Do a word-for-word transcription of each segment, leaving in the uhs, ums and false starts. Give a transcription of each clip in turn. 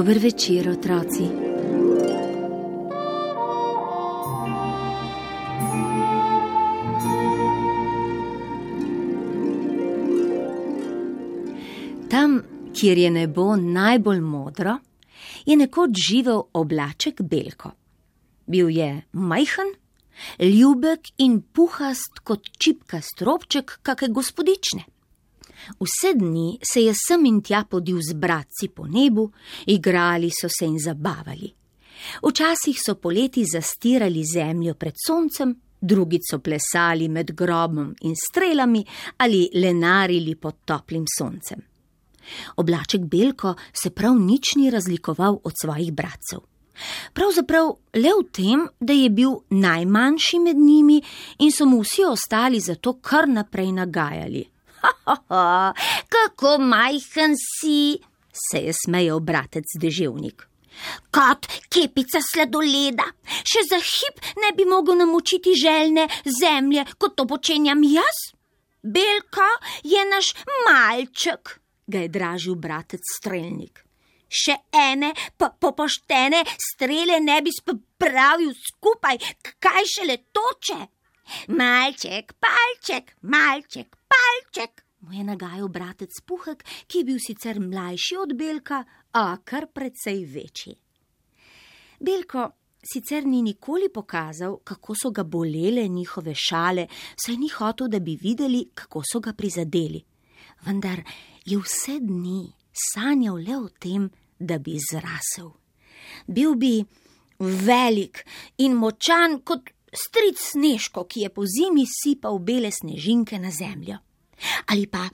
Dober večer, otroci. Tam, kjer je nebo najbolj modro, je nekoč živel oblaček Belko. Bil je majhen, ljubek in puhast kot čipkast robček kake gospodične. Vse dni se je sem in tja podil z bratci po nebu, igrali so se in zabavali. Včasih so poleti zastirali zemljo pred soncem, drugi so plesali med grobom in strelami ali lenarili pod toplim soncem. Oblaček Belko se prav nič ni razlikoval od svojih bratcev. Pravzaprav le v tem, da je bil najmanjši med njimi in so mu vsi ostali zato kar naprej nagajali. Ha, ha, ha, kako majhen si, se je smejal bratec Deževnik. Kot kepica sladoleda, še za hip ne bi mogel namočiti željne zemlje, kot to počenjam jaz. Belko je naš malček, ga je dražil bratec Strelnik. Še ene pa popoštene strele ne bi spravil skupaj, kaj šele toče. Malček, palček, malček, palček, mu je nagajal bratec Puhek, ki je bil sicer mlajši od Belka, a kar precej večji. Belko sicer ni nikoli pokazal, kako so ga bolele njihove šale, saj ni hotel, da bi videli, kako so ga prizadeli. Vendar je vse dni sanjal le o tem, da bi zrasel. Bil bi velik in močan kot stric Snežko, ki je po zimi sipal bele snežinke na zemljo. Ali pa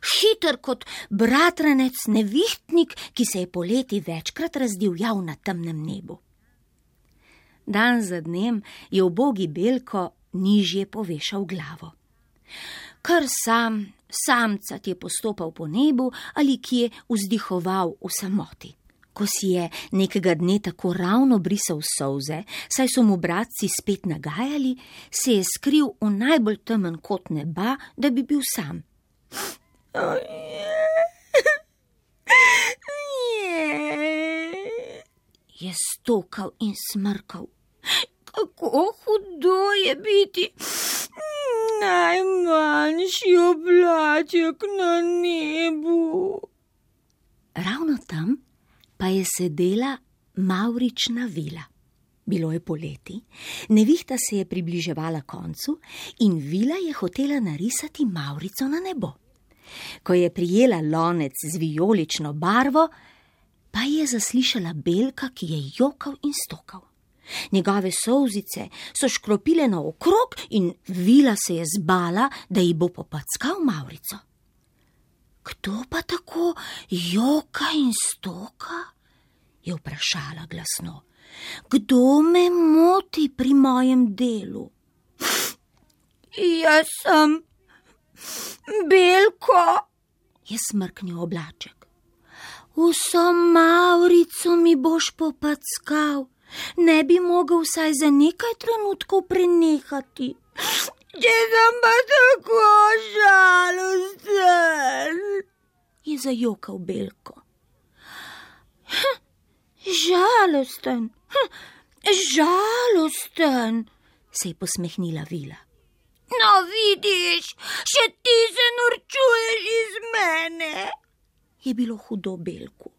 hiter kot bratranec Nevihtnik, ki se je poleti večkrat razdivjal na temnem nebu. Dan za dnem je ubogi Belko nižje povešal glavo. Kar sam, samcat je postopal po nebu ali kje vzdihoval v samoti. Ko si je nekega dne tako ravno brisal solze, saj so mu bratci spet nagajali, se je skril v najbolj temen kot neba, da bi bil sam. Je stokal in smrkal. Kako hudo je biti najmanjši oblaček na nebu. Ravno tam pa je sedela mavrična vila. Bilo je poleti, nevihta se je približevala koncu in vila je hotela narisati mavrico na nebo. Ko je prijela lonec z vijolično barvo, pa je zaslišala Belka, ki je jokal in stokal. Njegove solzice so škropile naokrog in vila se je zbala, da ji bo popackal mavrico. Kdo pa tako joka in stoka? Je vprašala glasno. Kdo me moti pri mojem delu? Jaz sem Belko, je smrknil oblaček. Vso mavrico mi boš popackal, ne bi mogel vsaj za nekaj trenutkov prenehati. Če sem pa tako žalosten, je zajokal Belko. Hm, žalosten, hm, žalosten, se je posmehnila vila. No, vidiš, še ti se norčuješ iz mene, je bilo hudo Belku.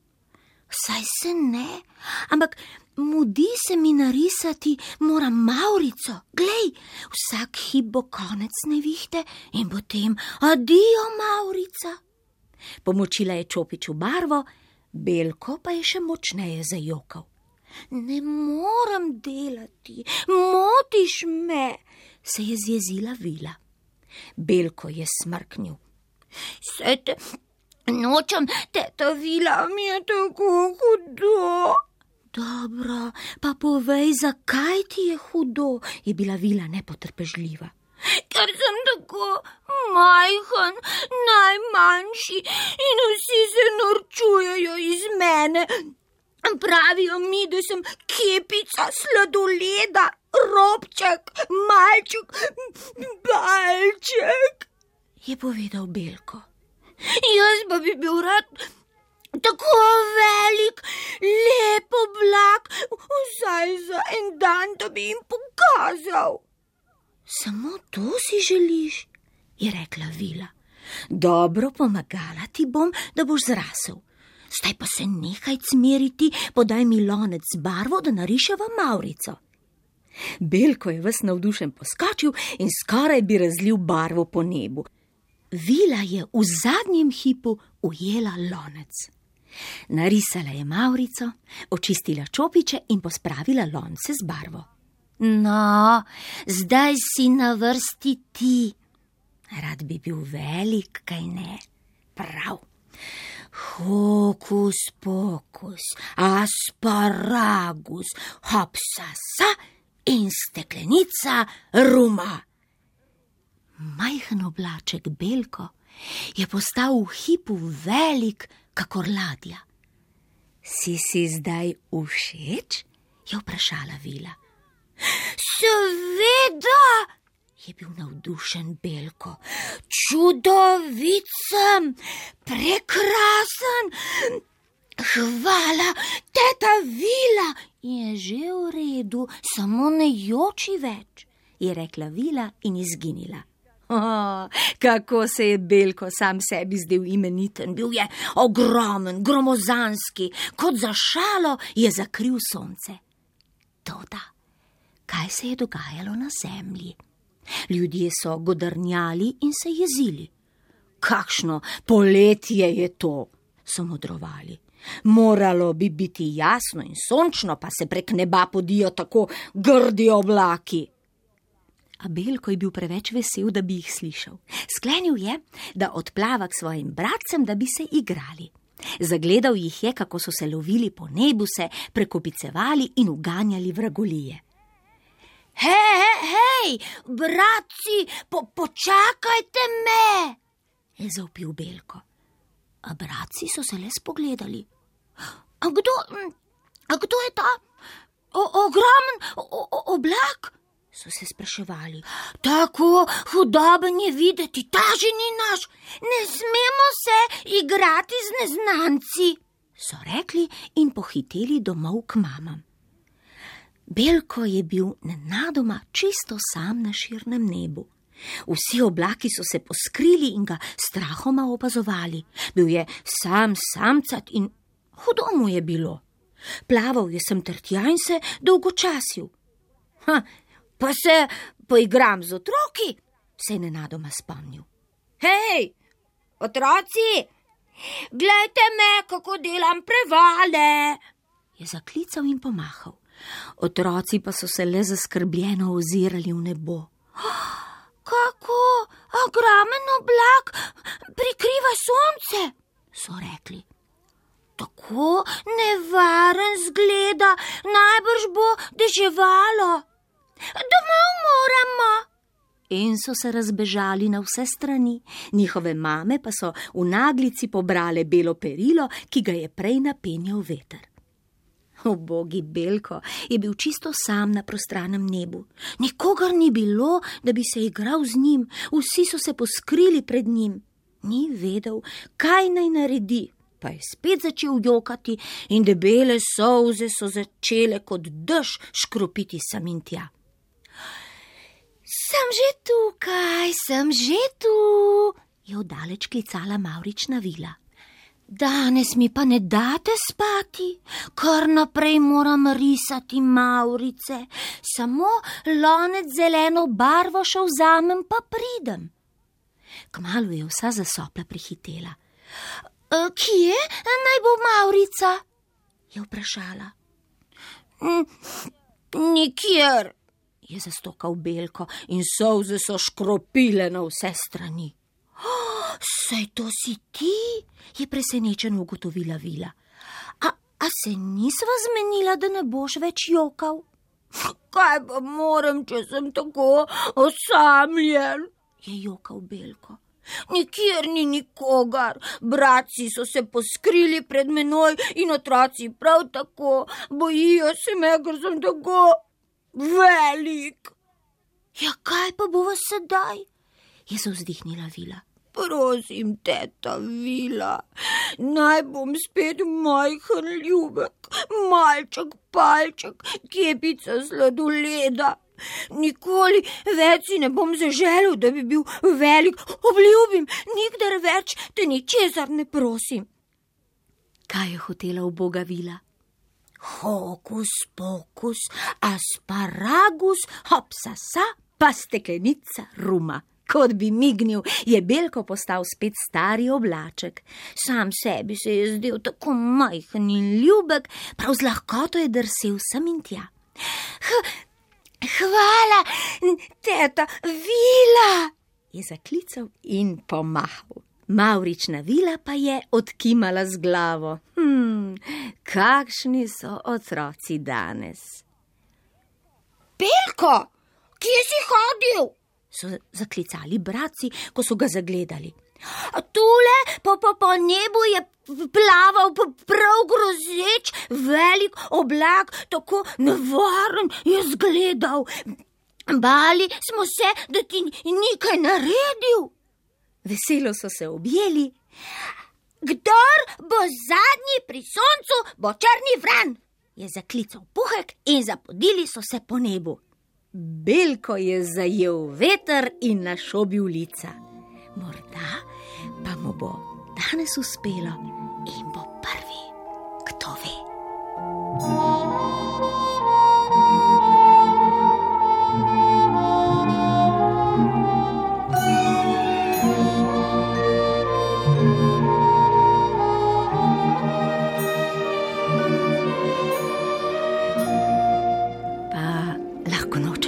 Saj se ne, ampak mudi se mi narisati, moram mavrico. Glej, vsak hip bo konec nevihte in potem adijo mavrica. Pomočila je čopiču barvo, Belko pa je še močneje zajokal. Ne moram delati, motiš me, se je zjezila vila. Belko je smrknil. Se te nočem, teta vila, mi je tako hudo. Dobro, pa povej, zakaj ti je hudo, je bila vila nepotrpežljiva. Ker sem tako majhen, najmanjši in vsi se norčujejo iz mene. Pravijo mi, da sem kepica sladoleda, robček, malček, palček, je povedal Belko. Jaz pa bi bil rad tako velik, lep oblak, vsaj za en dan, da bi jim pokazal. Samo to si želiš, je rekla vila. Dobro, pomagala ti bom, da boš zrasel. Zdaj pa se nehaj cmeriti, podaj mi lonec z barvo, da nariševa mavrico. Belko je ves navdušen poskočil in skoraj bi razlil barvo po nebu. Vila je v zadnjem hipu ujela lonec. Narisala je mavrico, očistila čopiče in pospravila lonce z barvo. No, zdaj si na vrsti ti. Rad bi bil velik, kaj ne? Prav. Hokus pokus, asparagus, hopsasa in steklenica ruma. Majhen oblaček Belko je postal v hipu velik, kakor ladja. Si si zdaj všeč? Je vprašala vila. Seveda, je bil navdušen Belko. Čudovit sem, prekrasen. Hvala, teta Vila. Je že v redu, samo ne joči več, je rekla Vila in izginila. Oh, kako se je Belko sam sebi zdel imeniten, bil je ogromen, gromozanski, kot za šalo je zakril sonce. Toda, kaj se je dogajalo na zemlji? Ljudje so godrnjali in se jezili. Kakšno poletje je to, so modrovali. Moralo bi biti jasno in sončno, pa se prek neba podijo tako grdi oblaki. A Belko je bil preveč vesel, da bi jih slišal. Sklenil je, da odplava k svojim bratcem, da bi se igrali. Zagledal jih je, kako so se lovili po nebu, se prekopicevali in uganjali vragolije. Hej, hej, hej, bratci, po, počakajte me, je zavpil Belko. A bratci so se le spogledali. A kdo, a kdo je ta o, ogromen o, o, oblak? So se spraševali. Tako hudoben je videti, ta že ni naš, ne smemo se igrati z neznanci, so rekli in pohiteli domov k mamam. Belko je bil nenadoma čisto sam na širnem nebu. Vsi oblaki so se poskrili in ga strahoma opazovali. Bil je sam samcat in hudo mu je bilo. Plaval je sem ter tja in se dolgočasil. Ha, pa se poigram z otroki, se je nenadoma spomnil. Hej, otroci, glejte me, kako delam prevale, je zaklical in pomahal. Otroci pa so se le zaskrbljeno ozirali v nebo. Kako ogromen oblak prikriva sonce, so rekli. Tako nevaren zgleda, najbrž bo deževalo. Domov moramo. In so se razbežali na vse strani, njihove mame pa so v naglici pobrale belo perilo, ki ga je prej napenjal veter. Ubogi Belko je bil čisto sam na prostranem nebu. Nikogar ni bilo, da bi se igral z njim, vsi so se poskrili pred njim. Ni vedel, kaj naj naredi, pa je spet začel jokati in debele solze so začele kot dež škropiti sem in tja. Sem že tukaj, sem že tu, je oddaleč klicala mavrična vila. Danes mi pa ne date spati, kar naprej moram risati mavrice, samo lonec zeleno barvo še vzamem pa pridem. Kmalu je vsa zasopla prihitela. E, kje naj bo mavrica? Je vprašala. Nikjer, je zastokal Belko in solze so škropile na vse strani. Saj to si ti, je presenečeno ugotovila vila. A, a se nisva zmenila, da ne boš več jokal? Kaj pa moram, če sem tako osamljen, je jokal Belko. Nikjer ni nikogar, bratci so se poskrili pred menoj in otroci prav tako, bojijo se me, ker sem tako velik. Ja, kaj pa bova sedaj, je zavzdihnila vila. prosim, teta Vila, naj bom spet majhen ljubek, malček, palček, kepica sladoleda. Nikoli več si ne bom zaželel, da bi bil velik, obljubim, nikdar več te ničesar ne prosim. Kaj je hotela uboga Vila? Hokus pokus, asparagus, hopsasa, pa steklenica ruma. Kot bi mignil, je Belko postal spet stari oblaček. Sam sebi se je zdel tako majhen in ljubek, prav z lahkoto je drsel sem in tja. Hvala, teta Vila, je zaklical in pomahal. Mavrična Vila pa je odkimala z glavo. Hm, kakšni so otroci danes. Belko, kje si hodil? So zaklicali bratci, ko so ga zagledali. Tule po, po, po nebu je plaval prav grozeč velik oblak, tako nevaren je zgledal. Bali smo se, da ti nekaj naredil. Veselo so se objeli. Kdor bo zadnji pri soncu, bo črni vran, je zaklical Puhek in zapodili so se po nebu. Belko je zajel veter in našobil lica. Morda pa mu bo danes uspelo in bo prvi, kdo ve. Pa lahko noč